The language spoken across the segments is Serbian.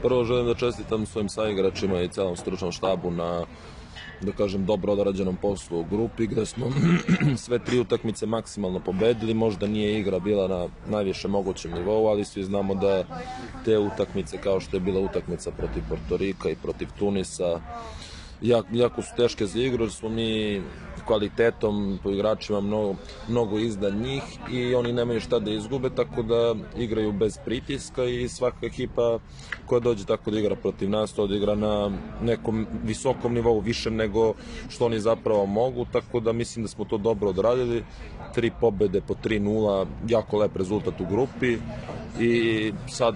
Prvo želim da čestitam svojim saigračima i celom stručnom štabu na, da kažem, dobro odrađenom poslu u grupi, gde smo sve 3 utakmice maksimalno pobedili. Možda nije igra bila na najviše mogućem nivou, ali svi znamo da te utakmice, kao što je bila utakmica protiv Portorika i protiv Tunisa, jako su teške za igru, jer smo mi kvalitetom po igračima mnogo iznad njih i oni nemaju šta da izgube, tako da igraju bez pritiska i svaka ekipa koja dođe tako da igra protiv nas, to da igra na nekom visokom nivou, više nego što oni zapravo mogu, tako da mislim da smo to dobro odradili. 3 pobede po 3-0, jako lep rezultat u grupi i sad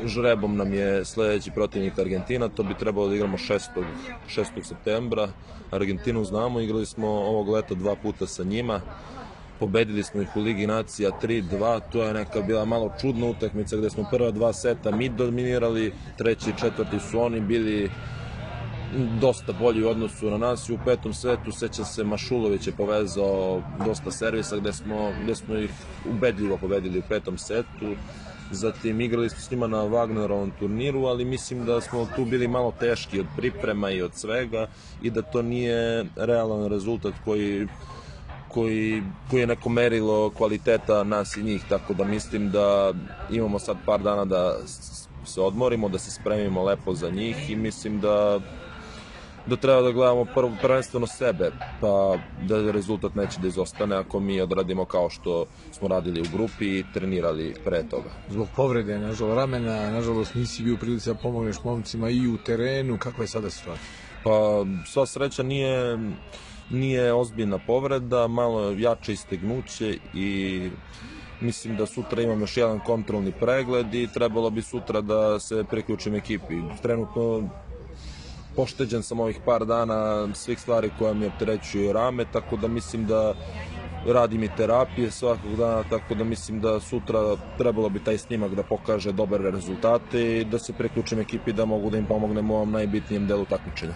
žrebom nam je sledeći protivnik Argentina, to bi trebalo da igramo 6. septembra. Argentinu znamo, igrali smo ovog leta 2 puta sa njima, pobedili smo ih u Ligi nacija 3-2, to je neka bila malo čudna utakmica gde smo prva 2 seta mi dominirali, 3. i 4. su oni bili dosta bolji u odnosu na nas i u 5. setu, sećam se, Mašulović je povezao dosta servisa gde smo ih ubedljivo pobedili u 5. setu. Zatim igrali smo s njima na Wagnerovom turniru, ali mislim da smo tu bili malo teški od priprema i od svega i da to nije realan rezultat koji je neko merilo kvaliteta nas i njih, tako da mislim da imamo sad par dana da se odmorimo, da se spremimo lepo za njih i mislim da treba da gledamo prvenstveno sebe, pa da rezultat neće da izostane ako mi odradimo kao što smo radili u grupi i trenirali pre toga. Zbog povrede, nažalost, ramena, nažalost nisi bio u prilici da pomogneš momcima i u terenu, kakva je sada situacija? Pa sva sreća nije ozbiljna povreda, malo jače istegnuće i mislim da sutra imam još jedan kontrolni pregled i trebalo bi sutra da se priključim ekipi. Trenutno pošteđen sam ovih par dana svih stvari koja mi opterećuju rame, tako da mislim da radim i terapije svakog dana, tako da mislim da sutra trebalo bi taj snimak da pokaže dobre rezultate i da se priključim ekipi da mogu da im pomognem u ovom najbitnijem delu takmičenja.